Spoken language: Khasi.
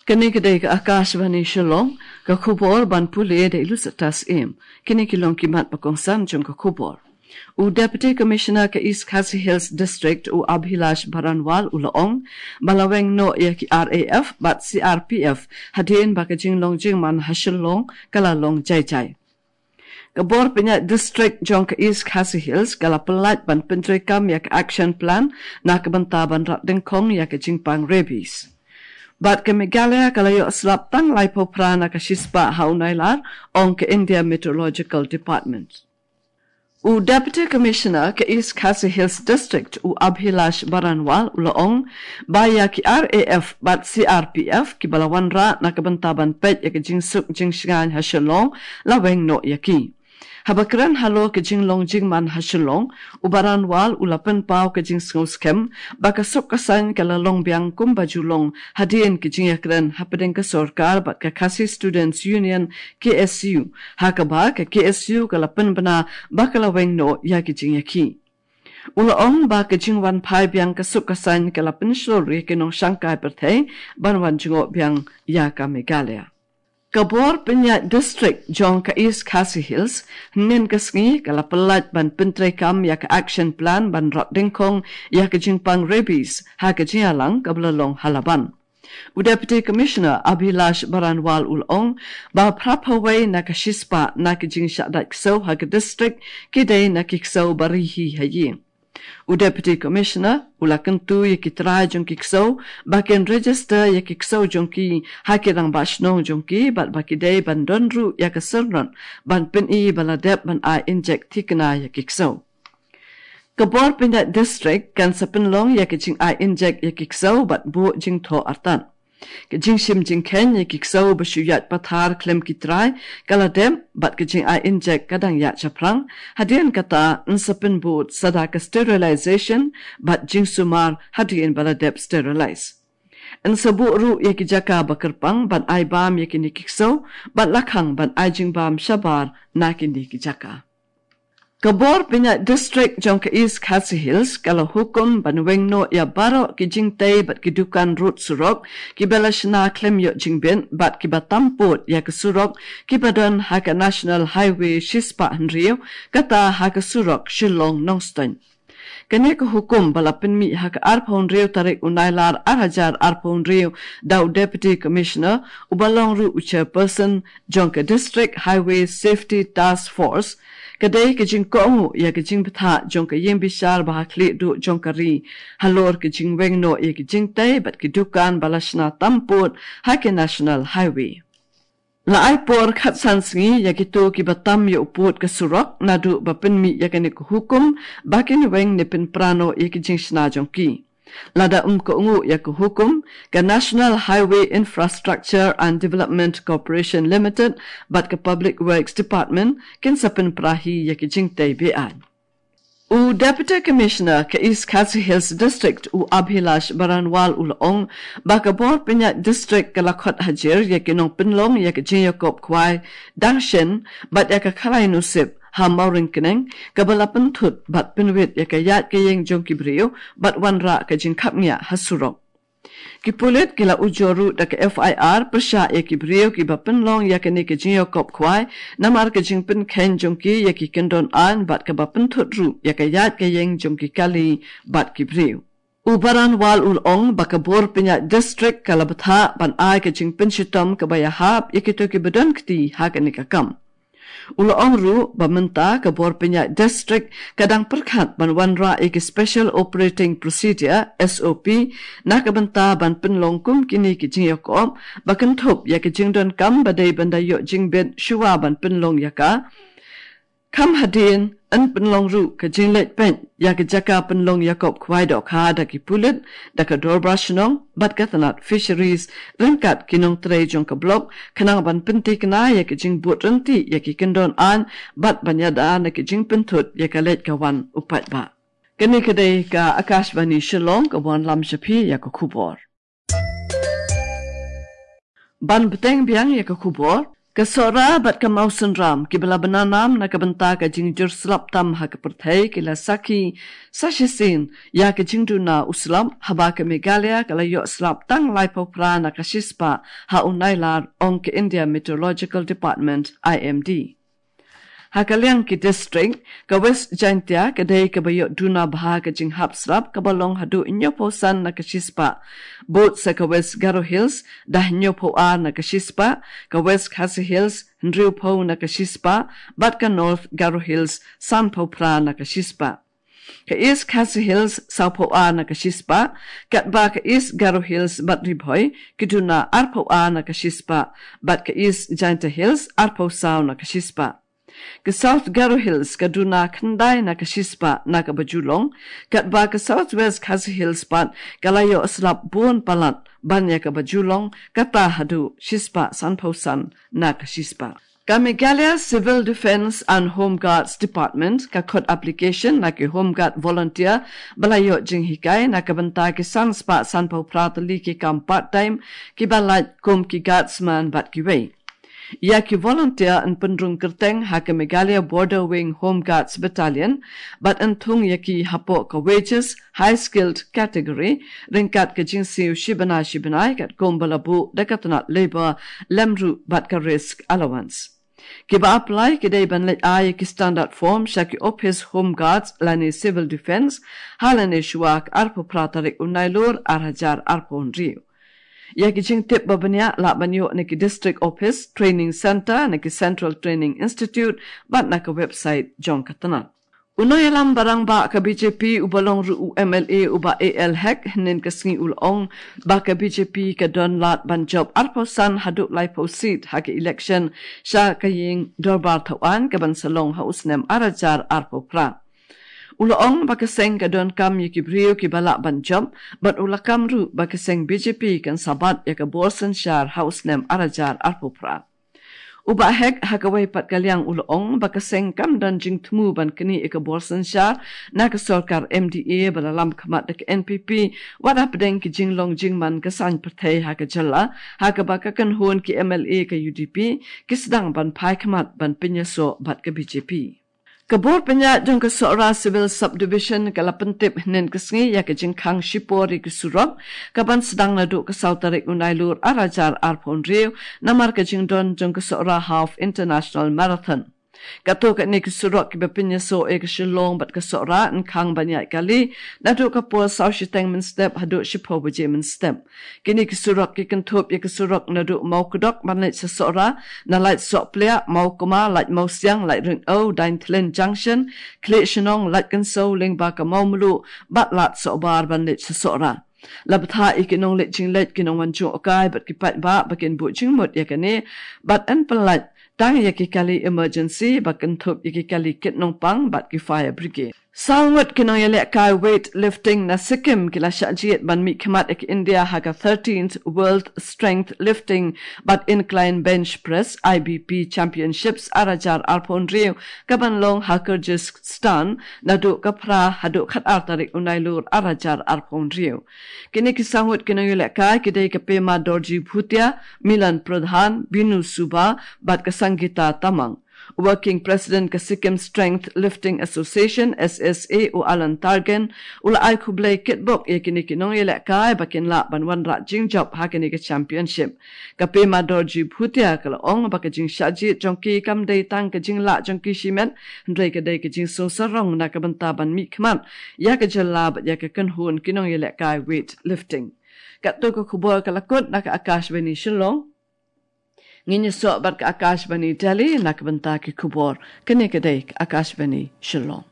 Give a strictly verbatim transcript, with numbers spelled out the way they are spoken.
Kane ka dei ka Akashvani Shillong, ka khubor ban pule da i Lucetta Syiem. Kine ki long ki mat ba kongsan jong ka khubor. U Deputy Commissioner ka East Khasi Hills District, u Abhilash Baranwal, u la ong ba la weng noh ïa ki R A F bad C R P F hadien ba ka jinglong jingman ha Shillong ka la long jai jai. Ka bor pynïaid district jong ka East Khasi Hills ka la pyllait ban pyntreikam ïa ka action plan na ka bynta ban rat dyngkhong ïa ka jingpang rabies. Bad ka Meghalaya ka la ïoh slap tang laiphew phra na ka shispah ha u Nailar, ong ka India Meteorological Department. U Deputy Commissioner ka East Khasi Hills District, u Abhilash Baranwal, u la ong ba ïa ki R A F bad C R P F kiba la wanrah na ka bynta ban peit ïa ka jingsuk jingshngaiñ ha Shillong la weng noh ïa ki. Haba kren halor ka jinglong jingman ha Shillong, u Baranwal u la pynpaw ka jingsngewskhem ba ka suk ka saiñ ka la long biang kumba ju long hadien ka jingïakren hapdeng ka sorkar bad ka Khasi Students Union, K S U, ha kaba ka K S U ka la pynbna ba ka la weng noh ïa ki jingïakhih. U la ong ba ka jingwan phai biang ka suk ka saiñ ka la pynshlur ïa ki nongshangkai pyrthei ban wan jngoh biang ïa ka Meghalaya. Ka bor pynïaid district jong ka East Khasi Hills hynnin ka sngi ka la pyllait ban pyntreikam ïa ka action plan ban rat dyngkhong ïa ka jingpang rabies ha ka jingïalang kaba la long ha Laban. U Deputy Commissioner Abhilash Baranwal u la ong ba phraphew wei na ka shispah na ki jingshah dait ksew ha ka district ki dei na ki ksew ba ri hi ha ïing. U Deputy Commissioner u la kyntu ïa ki trai jong ki ksew ba kin register ïa ki ksew jong ki ha ki rangbah shnong jong ki bad ba ki dei ban don ruh ïa ka syrnod ban pyni ba la dep ban ai injek thikna ïa ki ksew. Ka bor pynïaid district kan sa pynlong ïa ka jingai injek ïa ki ksew bad buh jingthoh artat. Ka jingshim jingkheiñ ïa ki ksew ba shu ïaid pathar khlem ki trai ka la dep bad ka jingai injek ka dang ïaid shaphrang. Hadien kata yn sa pynbud sa da ka sterilization bad jingsumar hadien ba la dep sterilize. Yn sa buh ruh ïa ki jaka ba kyrpang ban ai bam ïa kine ki ksew bad la khang ban ai jingbam shabar na kine ki jaka. Ka bor pynïaid district jong ka East Khasi Hills ka la hukum ban weng noh ïa baroh ki jingtei bad ki dukan rud surok kiba la shna khlem ïoh jingbit bad kiba tam pud ïa ka surok kiba don ha ka National Highway shispah hynriew, kata ha ka surok Shillong Nongstoiñ. Kane ka hukum ba la pynmih ha ka arphew hynriew tarik u Nailar ar hajar arphew hynriew da u Deputy Commissioner uba long ruh u chairperson jong ka District Highway Safety Task Force, ka dei ka jingkohnguh ïa ka jingbthah jong ka ïingbishar ba ha khlieh duh jong ka ri halor ka jingweng noh ïa ki jingtei bad ki dukan ba la shna tam pud ha ka National Highway. La ai por khatsan sngi ïa kito kiba tam ïa u pud ka surok naduh ba pynmih ïa kane ka hukum ba kin weng ne pynpra noh ïa ki jingshna jong ki. Lada ym kohnguh ïa ka hukum, ka National Highway Infrastructure and Development Corporation Limited bad ka Public Works Department kin sa pynpra hi ïa ki jingtei be-aiñ. U Deputy Commissioner ka East Khasi Hills District, u Abhilash Baranwal, u la ong ba ka bor pynïaid district ka la khot hajir ïa ki nongpynlong ïa ka jingïakop khwai dang shen bad ïa ka khalai nusip ha Mawryngkneng kaba la pynthut bad pynwit ïa ka ïaid ka ïeng jong ki briew bad wanrah ka jingkhapngiah ha surok. Ki pulit ki la ujor ruh da ka F I R pyrshah ïa ki briew kiba pynlong ïa kane ka jingïakop khwai namar ka jingpynkheiñ jong ki ïa ki kyndon aiñ bad kaba pynthut ruh ïa ka ïaid ka ïeng jong ki kali bad ki briew. U Baranwal u la ong ba ka bor pynïaid district ka la bthah ban ai ka jingpynshitom kaba ïahap ïa kito kiba don kti ha kane ka kam. U la ong ruh ba mynta ka bor pynïaid district ka dang pyrkhat ban wanrah ïa ki special operating procedure, S O P, na ka bynta ban pynlong kum kine ki jingïakop ba kynthup ïa ka jingdonkam ba dei ban da ïoh jingbit shuwa ban pynlong ïa ka. Kham hadien yn pynlong ruh ka jingleit peit ïa ka jaka pynlong ïakop khwai dohkha da ki pulit, da ka dorbar shnong bad ka tnat Fisheries ryngkat ki nongtrei jong ka block khnang ban pyntikna ïa ka jingbud ryntih ïa ki kyndon aiñ bad ban ïada na ka jingpynthut ïa ka leit ka wan u paidbah. Kane ka dei ka Akashvani Shillong ka wanlam sha phi ïa ka khubor. Ban bteng biang ïa ka khubor, Ka Sohra bad ka Mawsynram, kiba la bna nam na ka bynta ka jingjur slap tam ha ka pyrthei, ki la sakhi sa shisien ïa ka jingduna u slap, haba ka Meghalaya ka la ïoh slap tang laiphew phra na ka shispah ha u Nailar, ong ka India Meteorological Department, I M D. Ha ka liang ki district, ka West Jaintia ka dei kaba ïoh duna bha ka jinghap slap, kaba long haduh hynñiewphew san na ka shispah. Bud sa ka West Garo Hills da hynñiewphew ar na ka shispah, ka West Khasi Hills hynriewphew na ka shispah, bad ka North Garo Hills sanphew phra na ka shispah. Ka East Khasi Hills sawphew ar na ka shispah, katba ka East Garo Hills bad Ri Bhoi ki duna arphew ar na ka shispah, bad ka East Jaintia Hills arphew saw na ka shispah. Ka South Garo Hills ka duna khyndai na ka shispah na kaba ju long, katba ka South West Khasi Hills pat ka la ïoh slap bun palat ban ïa kaba ju long, kata haduh shispah sanphew san na ka shispah. Ka Meghalaya Civil Defence and Home Guards Department ka khot application na ki Home Guard volunteer ba la ïoh jinghikai na ka bynta ki san spah sanphew phra tylli ki kam part time, kiba lait kum ki guardsman bad kiwei. Ïa ki volunteer yn pynrung kyrteng ha ka Meghalaya Border Wing Home Guards Battalion, bad yn thung ïa ki hapoh ka wages high skilled category, ryngkat ka jingsiew shi bnai shi bnai katkum ba la buh da ka tnat labour, lem ruh bad ka risk allowance. Kiba apply ki dei ban leit ai ki standard form sha ki office Home Guards lane Civil Defence ha lane shuwa ka arphew phra tarik u Nailur ar hajar arphew hynriew. Ïa ki jingtip ba bniah lah ban ïoh na ki District Office, Training Centre, na ki Central Training Institute bad na ka website jong ka tnat. U nongïalam ba rangbah ka B J P uba long ruh u M L A u Bah A L Hek, hynnin ka sngi u la ong ba ka B J P ka don lad ban jop arphew san haduh laiphew seat ha ka election sha ka ïing dorbar thawaiñ kaban sa long ha u snem ar hajar arphew phra. U la ong ba ka seng ka donkam ïa ki briew kiba lah ban jop, bad u la kam ruh ba ka seng B J P kan sa bat ïa ka bor synshar ha u snem ar hajar arphew phra. U Bah Hek ha kawei pat ka liang u la ong ba ka seng kam don jingthmu ban knieh ïa ka bor synshar na ka sorkar M D A ba la lam khmat da ka N P P, wat hapdeng ki jinglong jingman ka saiñ pyrthei ha ka jylla, ha kaba ka kynhun ki M L A ka U D P ki sdang ban phai khmat ban pynïasoh bad ka B J P. Ka bor pynïaid jong ka Sohra Civil Subdivision ka la pyntip hynnin ka sngi ïa ka jingkhang shipor ïa ki surok, kaban sdang naduh ka saw tarik u Nailur ar hajar arphew hynriew, namar ka jingdon jong ka Sohra Half International Marathon. Kato kane ki surok kiba pynïasoh ïa ka Shillong bad ka Sohra yn khang ban ïaid kali naduh ka por saw shiteng mynstep haduh shiphew baje mynstep. Kine ki surok ki kynthup ïa ka surok naduh Mawkdok ban leit sha Sohra, na Lait Sohpliah, Mawkma, Lait Mawsiang, Lait Ryngew, Dainthlin Junction, Khlieh Shnong, Lait Kynsew lyngba ka Mawmluh bad Lad Sohbar ban leit sha Sohra. La bthah ïa ki nongleit jingleit, ki nongwan jngohkai bad ki paidbah ba kin buh jingmut ïa kane, bad yn pynlait tang ïa ki kali emergency ba kynthup ïa ki kali kit nongpang bad ki fire brigade. Saw ngut ki nongïalehkai weight lifting na Sikkim ki la shah jied ban mihkhmat ïa ka India ha ka thirteenth World Strength Lifting bad Incline Bench Press, I B P, Championships ar hajar arphew hynriew, kaban long ha Kyrgyzstan naduh ka phra haduh khatar tarik u Nailur ar hajar arphew hynriew. Kine ki saw ngut ki nongïalehkai ki dei ka Pema Dorji Bhutia, Milan Pradhan, Binu Suba bad ka Sangeeta Tamang. Working President ka Sikkim Strength Lifting Association, S S A, u Alan Targen, u la ai khublei kitbok ïa kine ki nongïalehkai ba kin lah ban wanrah jingjop ha kane ka championship. Ka Pema Dorji Bhutia ka la ong ba ka jingshah jied jong ki kam dei tang ka jinglah jong ki shimet, hynrei ka dei ka jingsngewsarong na ka bynta ban mihkhmat ïa ka jylla bad ïa ka kynhun ki nongïalehkai weight lifting. Katto ka khubor ka la kut na ka Akashvani Shillong. Ngin ïasoh bad ka Akashvani Delhi na ka bynta ki khubor. Kane ka dei ka Akashvani Shillong.